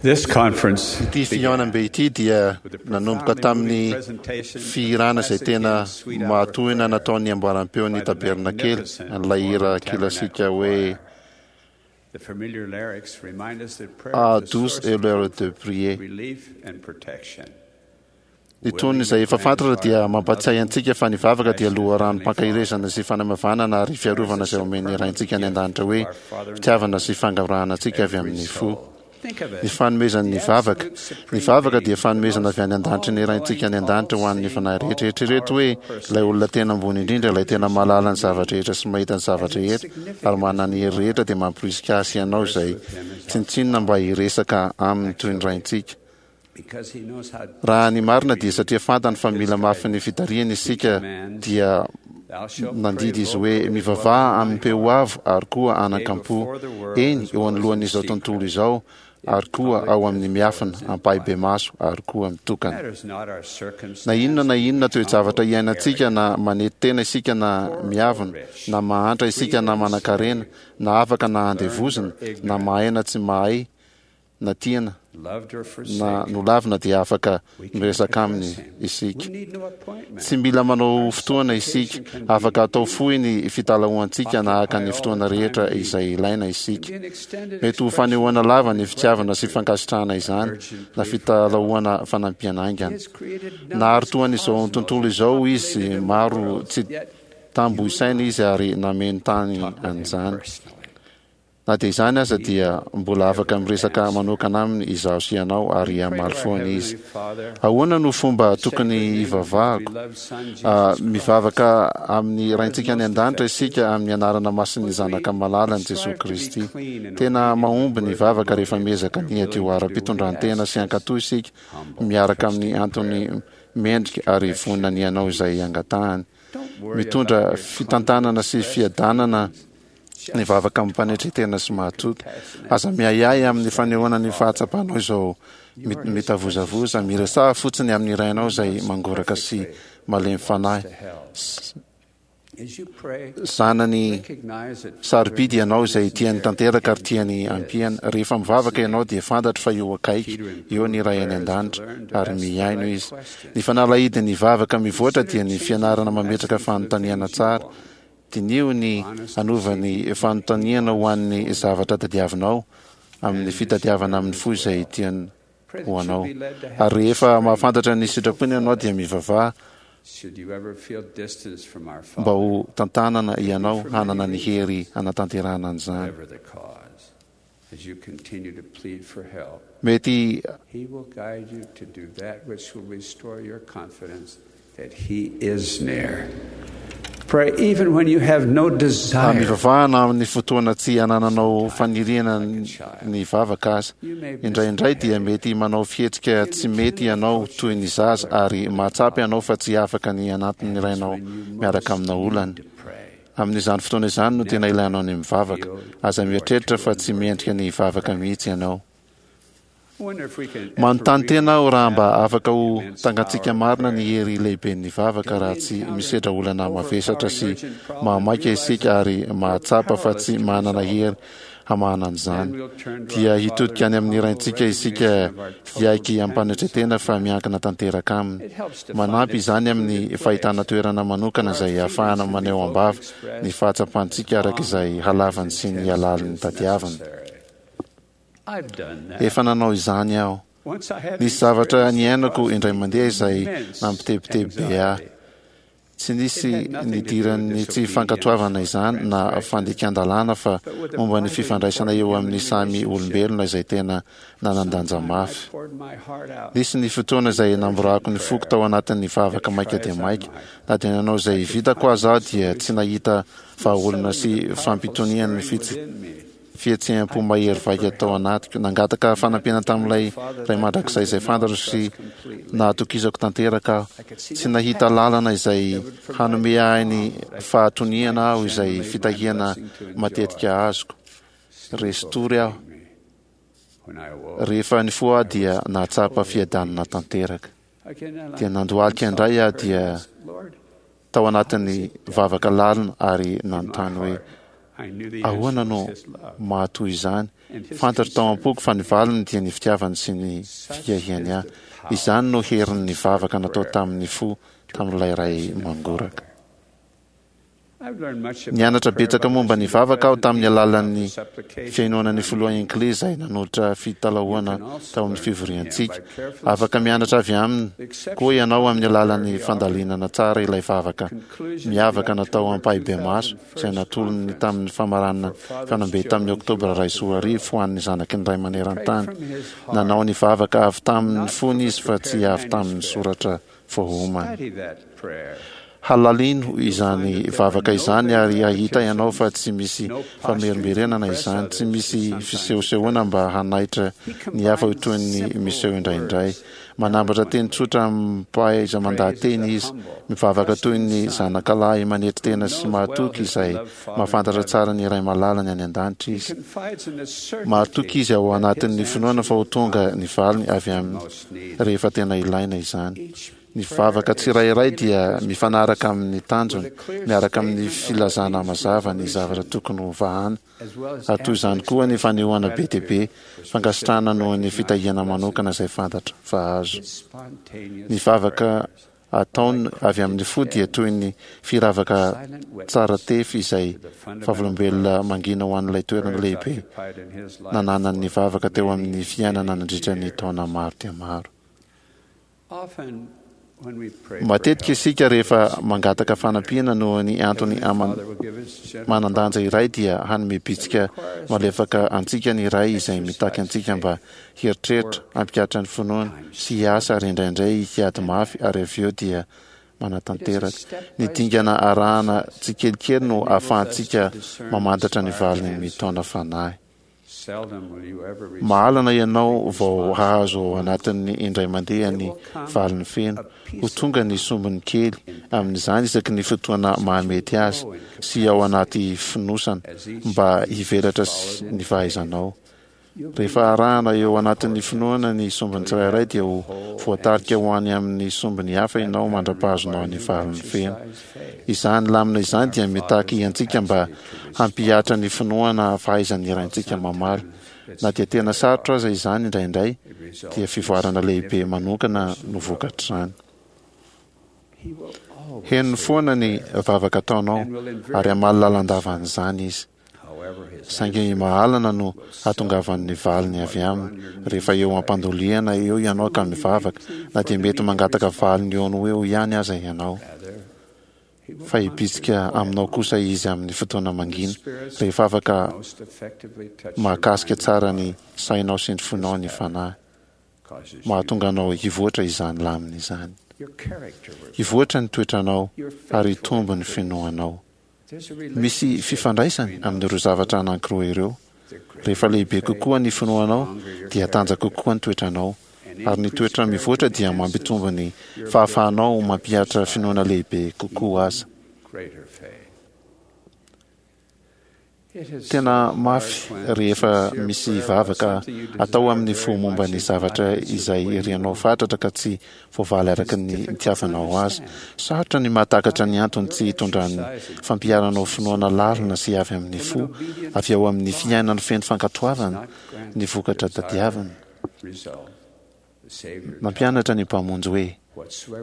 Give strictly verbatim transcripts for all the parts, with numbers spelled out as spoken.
This conference Ity fihaonambe ity dia nanomboka tamin'ny fihirana izay tena mahatohina nataon'ny amboaram-peon'ny tabernakely, an'ilay hira kilasika hoe The familiar lyrics remind us that prayer "Ah, is the douce source est l'heure of de prier." relief and protection. Ny tonony izay efa fantatra dia mampatsiahy antsika fa ny vavaka dia loharanom-pankaherezana sy fanamavanana ary fiarovana izay omen'ny Raintsika any an-danitra hoe fitiavana sy fangorahana antsika avy amin'ny fo. Think of Ny it. fanomezan'ny vavaka. Ny vavaka dia fanomezana avy any an-danitry ny Raintsika any an-danitra ho an'ny fanahy rehetra. Eritrereto hoe ilay olona tena ambony indrindra, ilay tena mahalala ny zava-drehetra sy mahita ny zava-drehetra ary manana ny hery rehetra dia mamporisika ahy sy ianao izay tsinontsinona mba hiresaka aminy toy ny Raintsika. Because he knows how Raha ny marina dia satria fantany fa mila mafy ny fitarihana isika dia thou shalt pray nandidy izy hoe vocally mivavaha amin'ny peo avo ary koa anakam-po, eny eo anoloan'izao tontolo izao ary koa ao amin'ny miafina ampahibemaso ary koa mitokana. Matters not our circumstance. Na inona na inona toe-javatra iainantsika, na manety tena isika na miavona, na mahantra isika na manankarena, na afaka na andevozina, na mahay na tsy mahay, na tiana Loved or na forsaken. nolavina dia afaka We can miresaka aminy address him. isika. We need no appointment. Tsy mila manao fotoana isika, afaka atao fohy ny fitalahoantsika na haka ny fotoana rehetra izay ilaina isika. Be an extended Mety ho fanehoana lava ny fitiavana sy fankasitrahana izany, na fitalahoana fanampiana haingana. He has created Nahary toa an'izao tontolo izao izy, maro tsy tambo isaina izy ary nameno tany an'izany. personally. Na dia izany aza dia mbola afaka miresaka manokana aminy izaho sy ianao ary hamaly foana izy. Father, Ahoana no fomba tokony hivavahako? beloved Son Jesus Ah, mivavaka amin'ny Raintsika any an-danitra isika amin'ny anarana masin'ny Zanaka malalany Jesosy Kristy. Tena mahomby ny vavaka rehefa miezaka ny hadio ara-pitondrantena sy hankatò isika miaraka amin'ny antony mendrika ary vonona ny hanao izay angatahany. Mitondra fitantanana sy fiadanana ny vavaka amim-panetren-tena sy mahatoky. Aza miahiahy amin'ny fanehoana ny fahatsapanao izao mi- mitavozavoza. Miresaha fotsiny amin'ny Rainao izay mangoraka sy malemy fanahy. S- As you pray, Zanany recognize that sarobidy ianao izay tiany tanteraka ary tiany ampiana. Rehefa mivavaka ianao dia fantatro fa eo akaiky eo ny Ray any an-danitra ary mihaino izy. Ny fanalahidin'ny vavaka mivoatra dia ny fianarana mametraka fanontaniana tsara. Diniho ny hanova ny fanontaniana ho an'ny zavatra tadiavinao amin'ny fitadiavana amin'ny fo izay tiany ho anao. Ary rehefa mahafantatra ny sitrapony ianao dia mivavaha should you ever feel distance from our mba Father, ho tantanana ianao hanana ny hery hanatanterahana an'izany. whatever the cause, as you continue to plead for help, Mety He will guide you to do that which will restore your confidence that He is near. Pray even when you have no desire. mivavahana amin'ny fotoana tsy anananao faniriana ny vavaka aza. Indraindray dia mety manao fihetsika tsy mety ianao toy ny zaza ary mahatsapa ianao fa tsy afaka ny anatin'ny Rainao miaraka amina olana. To pray. Amin'izany fotoana izany no tena ilainao ny mivavaka. Aza mieritreritra fa tsy mendrika ny hivavaka mihitsy ianao. I wonder if we can ever Manontany tena aho raha mba afaka ho immense tangantsika power of marina ny prayer. hery lehiben'ny vavaka raha tsy misedra olana mavesatra sy mahamaika isika ary mahatsapa fa tsy manana hery hamahana an'izany. Dia hitodika any amin'ny Raintsika isika hiaiky ampanetren-tena fa miankina tanteraka aminy. Manampy izany amin'ny fahitana toerana manokana izay ahafahana maneho am-bava ny fahatsapantsika araka izay halavany sy ny halalin'ny tadiaviny. I've done that. Efa nanao izany aho. Once I had Nisy zavatra niainako experienced indray mandeha izay immense nampitebiteby be ahy. anxiety. Tsy nisy nidiran'ny tsy fankatoavana izany na fandikan-dalàna fa momba ny fifandraisana eo amin'ny samy olombelona izay tena nanan-danja mafy. I poured my heart out. Nisy ny fotoana izay namborako ny foko tao anatin'ny vavaka maika dia maika. Na dia nanao izay vitako aza aho dia tsy nahita vahaolana sy fampitonian'ny fitsi- fihetseham-po mahery vaika tao anatiko. Nangataka fanampiana tamin'ilay Ray mandrakizay izay fantatro sy nahatokisako tanteraka aho. Tsy nahita lalana izay hanome ahy ny fahatoniana aho izay fitahiana matetika azoko. Resy tory aho. When I awoke, Rehefa nifoha aho dia nahatsapa fiadanana tanteraka. I cannot Dia nandohalika indray aho dia Lord, tao anatin'ny vavaka lalina ary nanontany hoe Ahoana no mahatoy izany? Fantatro tao am-poko fa ny valiny dia ny fitiavany sy ny fiahiany ahy. Izany no herin'ny vavaka natao tamin'ny fo tamin'ilay Ray mangoraka. Nianatra betsaka momba ny vavaka aho tamin'ny alalan'ny fihainoana ny filoha Hinckley izay nanolotra fitalahoana tao amin'ny fivoriantsika. Afaka mianatra avy aminy koa ianao amin'ny alalan'ny fandalinana tsara ilay vavaka miavaka natao ampahibemaso izay natolony tamin'ny famaranana fihaonambe tamin'ny Oktobra iray sy roa arivo ho an'ny zanaky ny Ray maneran-tany. Nanao ny vavaka avy tamin'ny fony izy fa tsy avy tamin'ny soratra voaomana. Halalino izany vavaka izany ary hahita ianao fa tsy misy famerimberenana izany, tsy misy fisehosehoana mba hanaitra ny hafa ho toy ny miseho indraindray. Manambatra teny tsotra amim-pahaiza-mandaha-teny izy, mivavaka toy ny zanakalahy manetry tena sy mahatoky izay mahafantatra tsara ny Ray malalany any an-danitra izy. Mahatoky izy ao anatin'ny finoana fa ho tonga ny valiny avy aminy rehefa tena ilaina izany. Ny vavaka tsirairay dia mifanaraka amin'ny tanjony, miaraka amin'ny filazana mazava ny zavatra tokony ho vahana, ary toy izany koa ny fanehoana be dia be fankasitrahana noho ny fitahiana manokana izay fantatra fa azo. Ny vavaka ataony avy amin'ny fo dia toy ny firavaka tsara tefy izay vavolombelona mangina ho an'ilay toerana lehibe nananan'ny vavaka teo amin'ny fiainana nandritra ny taona maro dia maro. Matetika isika rehefa mangataka fanampiana noho ny antony manan-danja iray dia hanome bitsika malefaka antsika ny Ray izay mitaky antsika mba hieritreritra, hampihatra ny finoana sy hiasa ary indraindray hiady mafy ary avy eo dia manatanteraka. Ny dingana arahana tsikelikely no ahafahantsika mamantatra ny valiny mitaona fanahy. Mahalana ianao vao hahazo ao anatin'ny indray mandeha ny valiny feno. Ho tonga ny sombiny kely amin'izany isaky ny fotoana mahamety azy sy ao anaty fonosana mba hivelatra ny fahaizanao. Rehefa arahana eo anatin'ny finoana ny sombiny tsirairay dia ho voatarika ho any amin'ny sombiny hafa ianao mandra-pahazonao ny valiny feno. Izany lamina izany dia mitaky antsika mba hampihatra ny finoana fahaizan'ny Raintsika mamaly. Na dia tena sarotra aza izany indraindray, dia fivoarana lehibe manokana no vokatr'izany. Henony foana ny vavaka ataonao ary hamaly lalandava an'izany izy. Saingy mahalana no hatongavan'ny valiny avy aminy rehefa eo am-pandolihana eo ianao ka mivavaka, na dia mety mangataka valiny eo no eo ihany aza ianao. Fa hibitsika aminao kosa izy amin'ny fotoana mangina, rehefa afaka mahakasika tsara ny sainao sy ny fonao ny Fanahy. Mahatonga anao hivoatra izany lamina izany. Hivoatra ny toetranao ary hitombo ny finoanao. Misy fifandraisany amin'ireo zavatra anankiroa ireo. Rehefa lehibe kokoa ny finoanao, dia tanjaka kokoa ny toetranao. Ary ny toetra mivoatra dia mampitombo ny fahafahanao mampihatra finoana lehibe kokoa aza. Tena mafy rehefa misy vavaka atao amin'ny fo momba ny zavatra izay irianao fatratra ka tsy voavaly araka ny nitiavanao azy. Sarotra ny mahatakatra ny antony tsy hitondran'ny fampiharanao finoana lalina sy avy amin'ny fo, avy ao amin'ny fiainana feno fankatoavana, ny vokatra tadiavina. Nampianatra ny Mpamonjy hoe,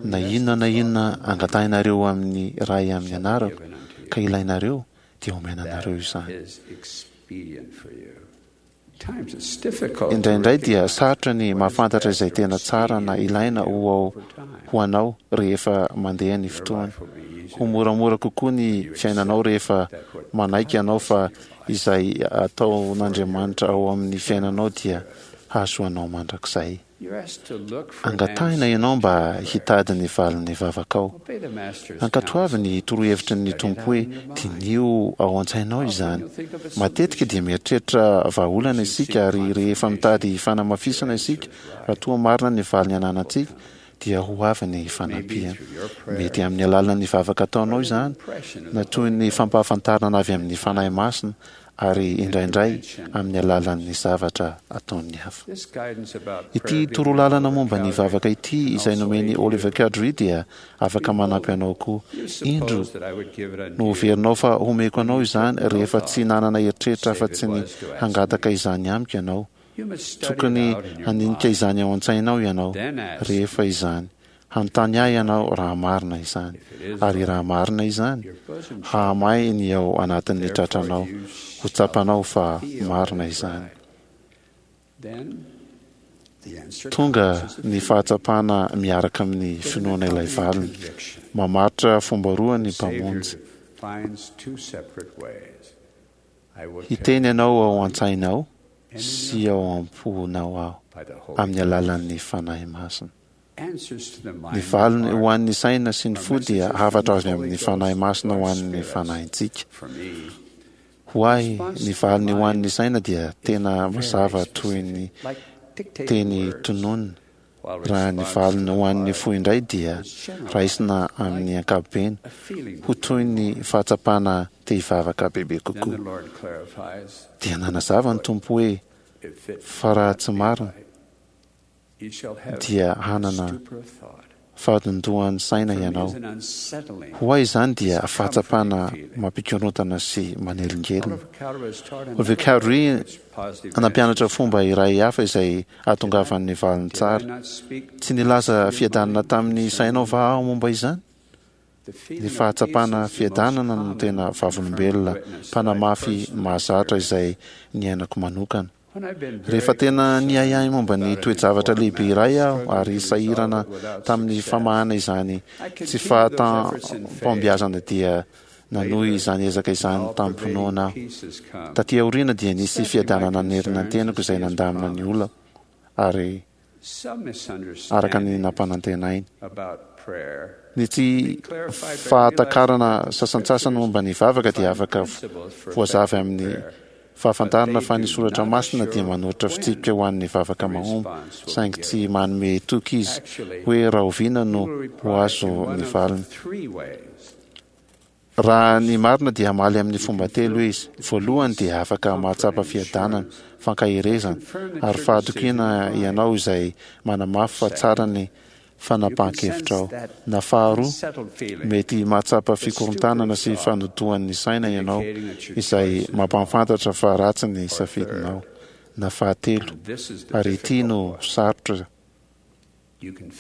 Na inona na inona angatahinareo amin'ny Ray amin'ny anarako, ka ilainareo, dia omena anareo izany. Indraindray dia sarotra ny mahafantatra izay tena tsara na ilaina ho ao ho anao rehefa mandeha ny fotoana. Ho moramora kokoa ny fiainanao rehefa manaiky ianao fa izay ataon'Andriamanitra ao amin'ny fiainanao dia hahasoa anao mandrakizay. Angatahina ianao mba hitady ny valin'ny vavakao. Ankatoavy ny torohevitry ny Tompo hoe diniho ao an-tsainao izany. Matetika dia mieritreritra vahaolana isika ary rehefa mitady fanamafisana isika raha toa marina ny valiny ananantsika dia ho avy ny fanampiana. Mety amin'ny alalan'ny vavaka ataonao izany na toy ny fampahafantarana avy amin'ny Fanahy Masina ary indraindray amin'ny alalan'ny zavatra ataon'ny hafa. Ity torolalana momba ny vavaka ity izay nomen'i Oliver Cowdery dia afaka manampy anao koa. Indro, noheverinao fa homeko anao izany rehefa tsy nanana eritreritra afa-tsy ny hangataka izany amiko ianao. Tokony handinika izany ao an-tsainao ianao rehefa izany. Hanontany ahy ianao raha marina izany. Ary raha marina izany, hahamay ny ao anatin'ny tratranao, ho tsapanao fa marina izany. Tonga ny fahatsapana miaraka amin'ny finoana ilay valiny. Mamaritra fomba roa ny Mpamonjy. Hiteny anao ao an-tsainao sy ao am-ponao aho amin'ny alalan'ny Fanahy Masina. Ny valiny ho an'ny saina sy ny fo dia hafatra avy amin'ny Fanahy Masina ho an'ny fanahintsika. Ho ahy, ny valiny ho an'ny saina dia tena mazava toy ny teny tononina, raha ny valiny ho an'ny fo indray dia raisina amin'ny ankapobeny ho toy ny fahatsapana te hivavaka bebe kokoa. Dia nanazava ny Tompo hoe, fa raha tsy marina, dia hanana fahadondohan'ny saina ianao. Ho ahy izany dia fahatsapana mampikorontana sy manelingelina. Oliver Cowdery nampianatra fomba iray hafa izay ahatongavan'ny valiny tsara. Tsy nilaza fiadanana tamin'ny sainao va aho momba izany? Ny fahatsapana fiadanana no tena vavolombelona mpanamafy mahazatra izay niainako manokana. Rehefa tena niahiahy momba ny toe-javatra lehibe iray aho ary sahirana tamin'ny famahana izany tsy fahatam-pahombiazana dia nanohy izany ezaka izany tamim-pinoana aho. Taty aoriana dia nisy fiadanana nanerina ny tenako izay nandamina ny olako ary araka ny nampanantenainy. Ny tsy fahatakarana sasantsasany momba ny vavaka dia afaka voazava amin'ny fahafantarana fa ny Soratra Masina dia manoritra fitsipika ho an'ny vavaka mahomby, saingy tsy manome toky izy hoe rahoviana no ho azo ny valiny. Raha ny marina dia hamaly amin'ny fomba telo izy. Voalohany dia afaka mahatsapa fiadanana, fankaherezana, ary fahatokiana ianao izay manamafy fa tsara ny fanapahan-kevitrao. Na faharoa, mety mahatsapa fikorontanana sy fanodoan'ny saina ianao izay mampahafantatra fa ratsy ny safidinao. Na fahatelo, ary ity no sarotra,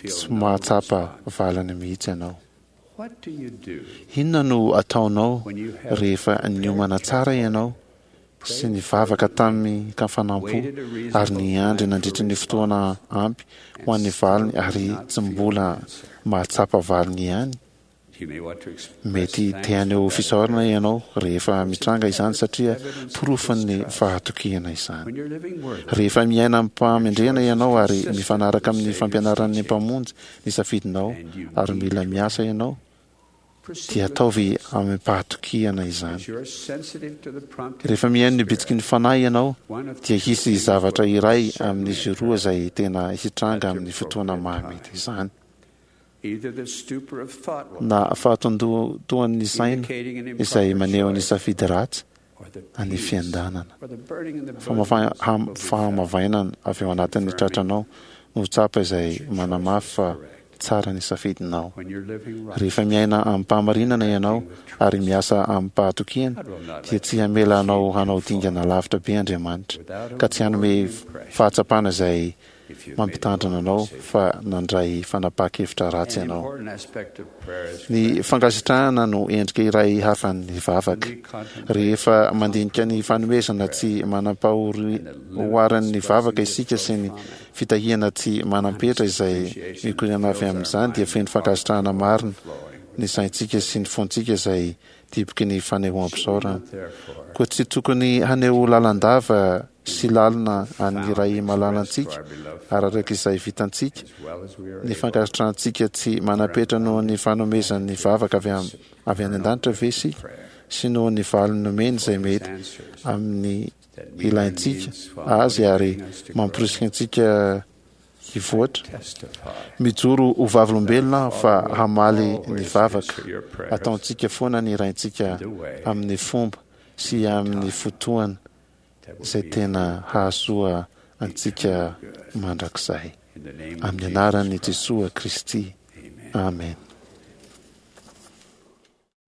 tsy mahatsapa valiny mihitsy ianao. Inona no ataonao rehefa niomana tsara ianao sy nivavaka tamin-kafanam-po ary niandry nandritra ny fotoana ampy ho an'ny valiny ary tsy mbola mahatsapa valiny ihany? Mety te haneho fisaorana ianao rehefa mitranga izany satria porofon'ny fahatokiana izany. Rehefa miaina amim-pahamendrehana ianao ary mifanaraka amin'ny fampianaran'ny Mpamonjy ny safidinao ary mila miasa ianao, dia ataovy amim-pahatokiana izany. Rehefa mihaino ny bitsiky ny Fanahy ianao, dia hisy zavatra iray amin'izy roa izay tena hitranga amin'ny fotoana mahamety izany. Na fahatondohan'ny saina izay maneho ny safidy ratsy, na ny fiandanana. Fahamavainana avy ao anatin'ny tratranao no tsapa izay manamafy fa tsara ny safidinao. Rehefa miaina amim-pahamarinana ianao ary miasa amim-pahatokiana, dia tsy hamela anao hanao dingana lavitra be Andriamanitra, ka tsy hanome fahatsapana izay mampitandrina anao fa nandray fanapahan-kevitra ratsy ianao. Ny fankasitrahana no endrika iray hafan'ny vavaka. Rehefa mandinika ny fanomezana tsy manam-pahoaran'ny vavaka isika sy ny fitahiana tsy manam-petra izay mikoriana avy amin'izany, dia feno fankasitrahana marina ny saintsika sy ny fontsika izay diboky ny fanehoam-pisaorana. Koa tsy tokony haneho lalandava sy lalina an'ny Ray malalantsika ary araka izay vitantsika, ny fankasitrahantsika tsy manam-petra noho ny fanomezan'ny vavaka avy avy any an-danitra ve isika sy noho ny valiny nomeny izay mety amin'ny ilaintsika azy ary mamporisika antsika hivoatra? Mijoro ho vavolombelona aho fa hamaly ny vavaka ataontsika foana ny Raintsika amin'ny fomba sy amin'ny fotoana izay tena hahasoa antsika mandrakizay. In the name of Amin'ny Jesus anaran'i Christ. Jesoa Kristy. Amen. Amen.